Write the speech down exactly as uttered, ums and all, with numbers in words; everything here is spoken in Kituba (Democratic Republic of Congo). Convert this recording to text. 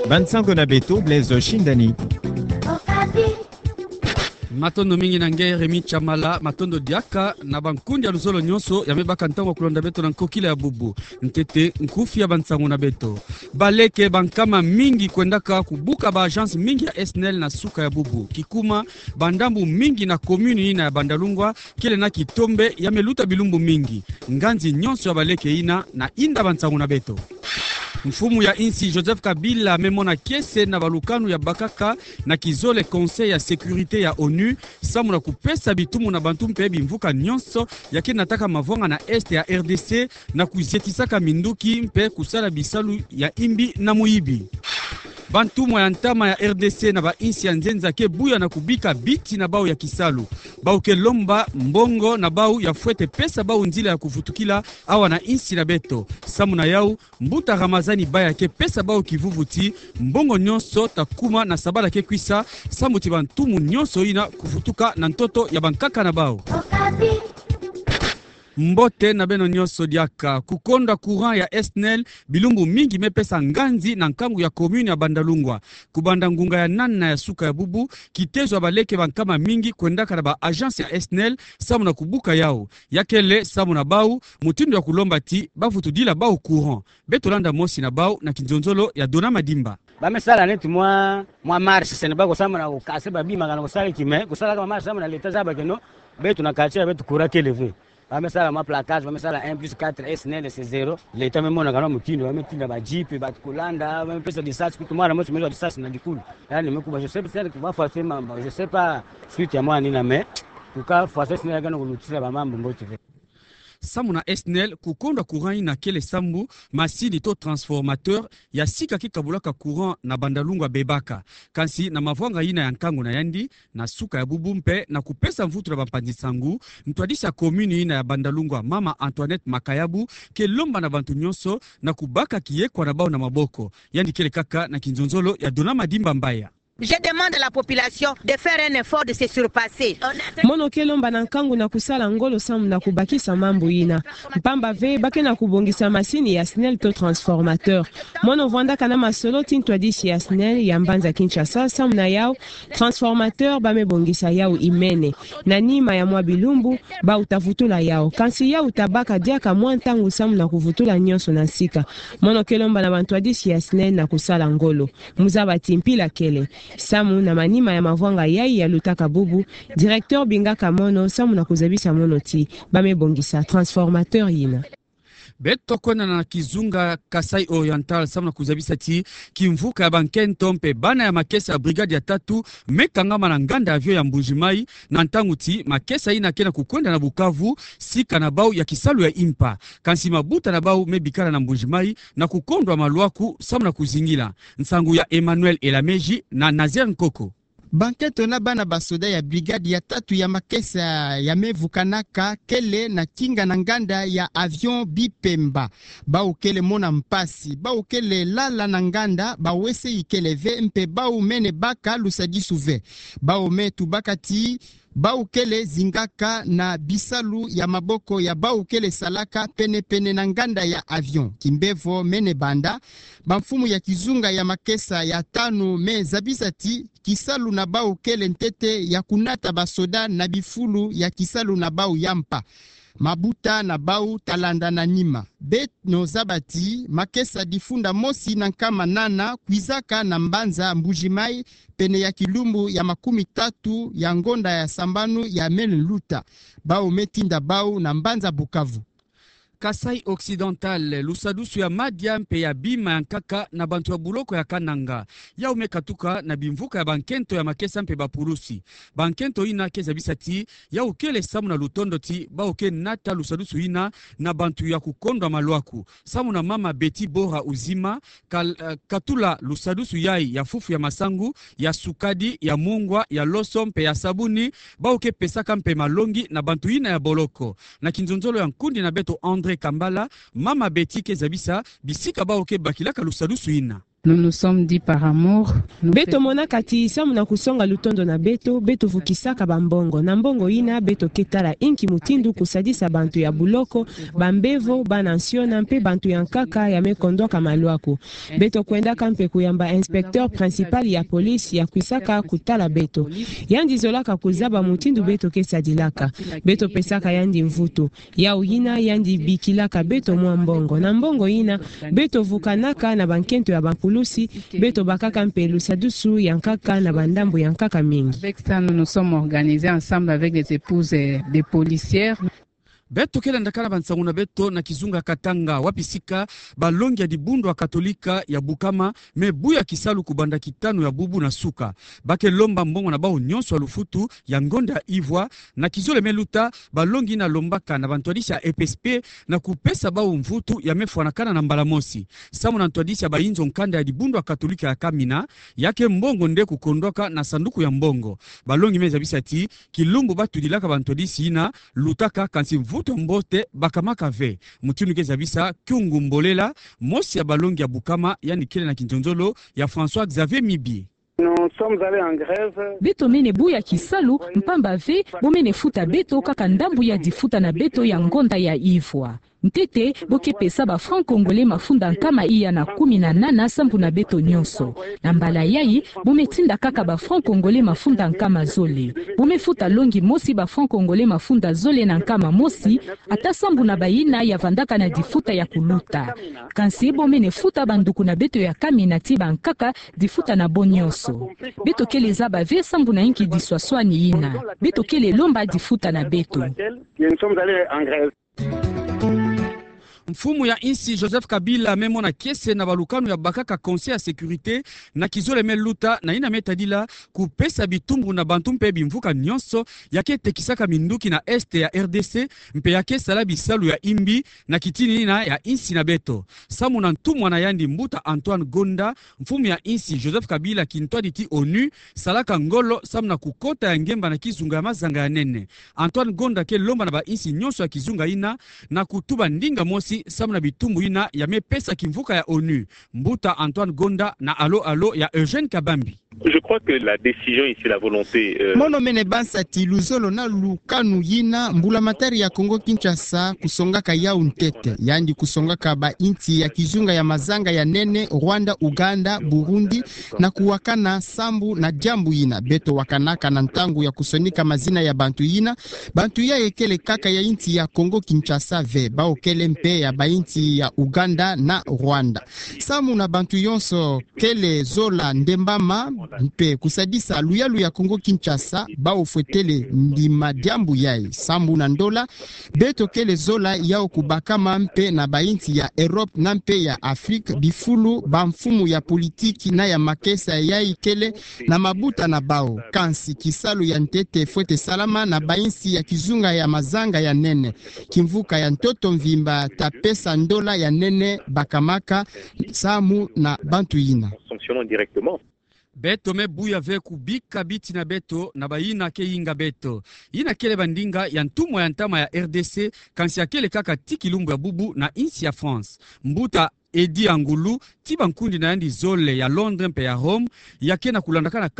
Bansango na beto, Blaise Shindani. Matondo mingi na nge, Rémy Tshamala. Matondo diaka na bankundi ya luzolo nyonso ya me baka ntangu ya kulanda beto na nkokila ya bubu. Ntete nkufi ya bansango na beto. Baleke bankama mingi kwendaka kubuka ba agence mingi ya SNEL na suka ya bubu. Kikuma, bandambu mingi na commune yina ya Bandalungwa kele na kitombe ya me luta bilumbu mingi. Nganzi nyonso ya baleke yina na inda bansango na beto. Mfumu ya insi Joseph Kabila me mona kiese na balukanu ya bakaka na kizole Conseil ya Sécurité ya ONU, samu na kupesa bitumu na bantu mpe bimvuka nyonso ya ke nataka mavwanga na Est ya RDC na kuzietisaka minduki mpe kusala bisalu ya imbi na muyibi. Bantumwa ya ntama ya RDC na ba insi ya nzenza ke buya na kubika biti na bau ya kisalu. Bau ke lomba mbongo na bau ya fwete pesa bau nzila ya kuvutukila awa na insi na beto. Samu na yau, mbuta Ramazani Baya ke pesa bau kivuvu ti mbongo nyonso ta kuma na sabala ke kwisa, samu ti bantumu nyonso yina kuvutuka na ntoto ya bankaka na bau. Mbote na beno nyonso diaka. Kukondwa courant ya SNEL, bilumbu mingi me pesa nganzi na nkangu ya commune ya Bandalungwa. Kubanda ngunga ya nana ya suka ya bubu, kitezo ya baleke bankama mingi kwendaka na ba agence ya SNEL samu na kubuka yau. Ya kele samu na bau mutindu ya kulomba ti bavutudila bau courant. Beto landa mosi na bau na kinzonzolo ya Dona Madimba. Ba me sala neti mwa, mwa marche, se na ba ko samu na ko kasa ba bima kana ko sala ki me, ko sala kaka marche samu na l'État zaba ke non, beto na quartier ya beto courant kele ve. Ba me sala mwa placage, ba me sala un plus quatre, SNEL c'est zéro. L'État me mona kana mutindu, ba me tinda ba jeep, ba ko landa, ba me pesa licence, kutu mwana mosi me zwa licence na likulu. Yaani me kuba, je sais pas, je sais pas, suite ya mwana yina, mais en tout cas, force SNEL ya ke na kulutisa ba mambu mbote ve. Samu na SNEL, kukondwa courant yina kele sambu masini to transformateur ya sika ke kabulaka courant na Bandalungwa bebaka. Kansi na mavwanga yina ya nkangu na yandi, na suka ya bubu mpe na kupesa mvutu na bampanzi nsangu, ntwadisi ya commune yina ya Bandalungwa, mama Antoinette Makayabu, ke lomba na bantu nyonso na kubaka kiyekwa na bau na maboko. Yandi kele kaka na kinzonzolo ya Dona Madimba Mbaya. Je demande à la population de faire un effort de se surpasser. Mono ke lomba na nkangu na kusala ngolo samu na kubakisa mambu yina. Mpamba ve ba ke na kubongisa masini ya SNEL to transformateur. Mono vwandaka na masolo ti ntwadisi ya SNEL ya mbanza Kinshasa samu na yau transformateur ba me bongisa yau imene. Na nima ya mwa bilumbu, bau ta vutula yau. Kansi yau ta baka diaka mwa ntangu samu na kuvutula nyonso na nsika. Mono ke lomba na bantwadisi ya SNEL na kusala ngolo. Mu zaba ti mpila kele. Samu na manima ya mavwanga yai ya lutaka bubu, directeur bingaka mono samu na kuzabisa mono ti ba me bongisa transformateur yina. Beto kwenda na kizunga Kasaï Oriental samu na kuzabisa ti kimvuka ya bankento mpe bana ya makesa ya brigade ya tatu me kangama na nganda avion ya Mbuji-Mayi, na ntangu ti makesa yina ke na kukwenda na Bukavu, sika na bau ya kisalu ya impa. Kansi mabuta na bau me bikala na Mbuji-Mayi na kukondwa malwaku samu na kuzingila. Nsangu ya Emmanuel Elameji na Nazaire Nkoko. Bankento na bana basoda ya brigade ya tatu ya makesa ya me vukanaka kele na kinga na nganda ya avion Bipemba. Bau kele mona mpasi, bau kele lala na nganda, bawese ikele ve mpe bau mene baka lusadisu ve. Bau me tubaka ti bau kele zingaka na bisalu ya maboko ya bau kele salaka pene-pene na nganda ya avion. Kimbevo mene banda, bamfumu ya kizunga ya makesa ya tanu me zabisa ti kisalu na bau kele ntete ya kunata basoda na bifulu ya kisalu na bau ya mpa. Mabuta na bau ta landa na nima. Beno zaba ti makesa difunda mosi na nkama nana kwizaka na mbanza Mbuji-Mayi pene ya kilumbu ya makumi tatu ya ngonda ya sambanu ya mene luta. Bau me tinda bau na mbanza Bukavu. Kasaï Occidental, lusadusu ya madia mpe ya bima ya nkaka na bantu ya buloko ya Kananga. Yau me katuka na bimvuka ya bankento ya makesa mpe bapulusi. Bankento yina ke zabisa ti yau kele samu na lutondo ti bau ke nata lusadusu yina na bantu ya kukondwa malwaku. Samu na mama Betty Bora Uzima, kal-, eh, katula lusadusu yai ya fufu ya masangu, ya sukadi, ya mungwa, ya loso mpe ya sabuni, bau ke pesaka mpe malongi na bantu yina ya boloko. Na kinzonzolo ya nkundi na beto André Kambala, mama Betty ke zabisa bisika bau ke bakilaka lusadusu yina. Nous nous sommes dit par amour. Beto monaka ti samu na kusonga lutondo na beto, beto vukisaka bambongo. Na mbongo yina, beto ke tala inki mutindu kusadisa bantu ya buloko, bambevo, bana nsiona, mpe bantu ya nkaka ya me kondwaka maluaku. Beto kwendaka mpe kuyamba inspecteur principal ya police ya kwisaka kutala beto. Yandi zolaka kuzaba mutindu beto ke sadilaka. Beto pesaka yandi mvutu. Yawu yina yandi bikilaka beto mwa mbongo. Na mbongo yina, beto vukanaka na bankento ya bampulusi, beto bakaka mpe lusadusu ya nkaka na bandambu ya nkaka mingi. Avec ça, nous nous sommes organisés ensemble avec les épouses, euh, des policières. Beto ke landaka na bansangu na beto na kizunga Katanga, wapi sika balongi ya dibundu ya Katolika ya Bukama me buya kisalu kubanda kitanu ya bubu na suka. Ba ke lomba mbongo na bawu nyonso ya lufutu ya ngonda ya Ivwa, na kizole me luta, balongi yina lombaka na bantwadisi ya E P S P na kupesa bawu mvutu ya me fwanakana na mbala mosi. Samu na ntwadisi ya bayinzo nkanda ya dibundu ya Katolika ya Kamina, ya ke mbongo nde kukondwaka na sanduku ya mbongo. Balongi me zabisa ti, kilumbu ba tudilaka bantwadisi yina lutaka, kansi mvutu ya mbote bakamaka ve. Mutindu ke zabisa Kyungu Mbolela, mosi ya balongi ya Bukama, yandi kele na kinzonzolo ya François Xavier Mibi. Nous sommes allés en grève. Beto mene buya kisalu, mpamba ve bo mene futa beto kaka ndambu ya difuta na beto ya ngonda ya Ivwa. Ntete, bo ke pesa ba francs congolais mafunda nkama iya na kumi na nana sambu na beto nyonso. Na mbala yayi, bo me tinda kaka ba francs congolais mafunda nkama zole. Bo me futa longi mosi ba francs congolais mafunda zole na nkama mosi, ata sambu na bayina ya vandaka na difuta ya kuluta. Kansi bo mene futa banduku na beto ya Kamina ti bankaka difuta na bo nyonso. Beto kele zaba ve sambu na inki diswaswani yina. Beto kele lomba difuta na beto. Mfumu ya insi Joseph Kabila me mona kiese na balukanu ya bakaka Conseil ya Sécurité na kizole me luta, na yina me tadila kupesa bitumbu na bantu mpe bimvuka nyonso ya ke tekisaka minduki na Est ya R D C, mpe ya ke sala bisalu ya imbi na kitini yina ya insi na beto. Samu na ntumwa na yandi mbuta Antoine Gonda, mfumu ya insi Joseph Kabila kintwadi ti ONU salaka ngolo samu na kukota ya ngemba na kizunga ya mazanga ya nene. Antoine Gonda ke lomba na bainsi nyonso ya kizunga yina na kutuba ndinga mosi samu na bitumbu yina ya me pesa kimvuka ya ONU. Mbuta Antoine Gonda na Allô Allô ya Eugène Kabambi. Je crois que la décision ici, la volonté, euh, Mono mene bansa ti luzolo na lukanu yina mbulamatari ya Congo Kinshasa kusongaka yawu ntete. Yandi kusongaka bainsi ya kizunga ya mazanga ya nene, Rwanda, Uganda, Burundi, na kuwakana sambu na diambu yina. Beto wakanaka na ntangu ya kusonika mazina ya bantu yina. Bantu yayi kele kaka ya insi ya Congo Kinshasa ve, bawu kele mpe ya bainsi ya Uganda na Rwanda. Samu na bantu yonso kele zola ndembama mpe kusadisa luyalu ya Congo Kinshasa, bawu fwetele ndima diambu yayi. Sambu na ndola, beto kele zola yawu kubakama mpe na bainsi ya Europe na mpe ya Afrique, bifulu bamfumu ya politiki na ya makesa yayi kele na mabuta na bawu. Kansi kisalu ya ntete fwete salama na bainsi ya kizunga ya mazanga ya nene. Kimvuka ya ntoto mvimba ta pesa ndola ya nene bakamaka samu na bantu yina. Sanctionnons directement. Beto me buya ve kubika biti na beto na bayina ke yinga beto. Yina kele bandinga ya ntumwa ya ntama ya R D C, kansi ya kele kaka ti kilumbu ya bubu na insi ya France. Mbuta Eddy Angulu, ti bankundi na yandi zole ya Londres mpe ya Rome, ya ke na kulandakana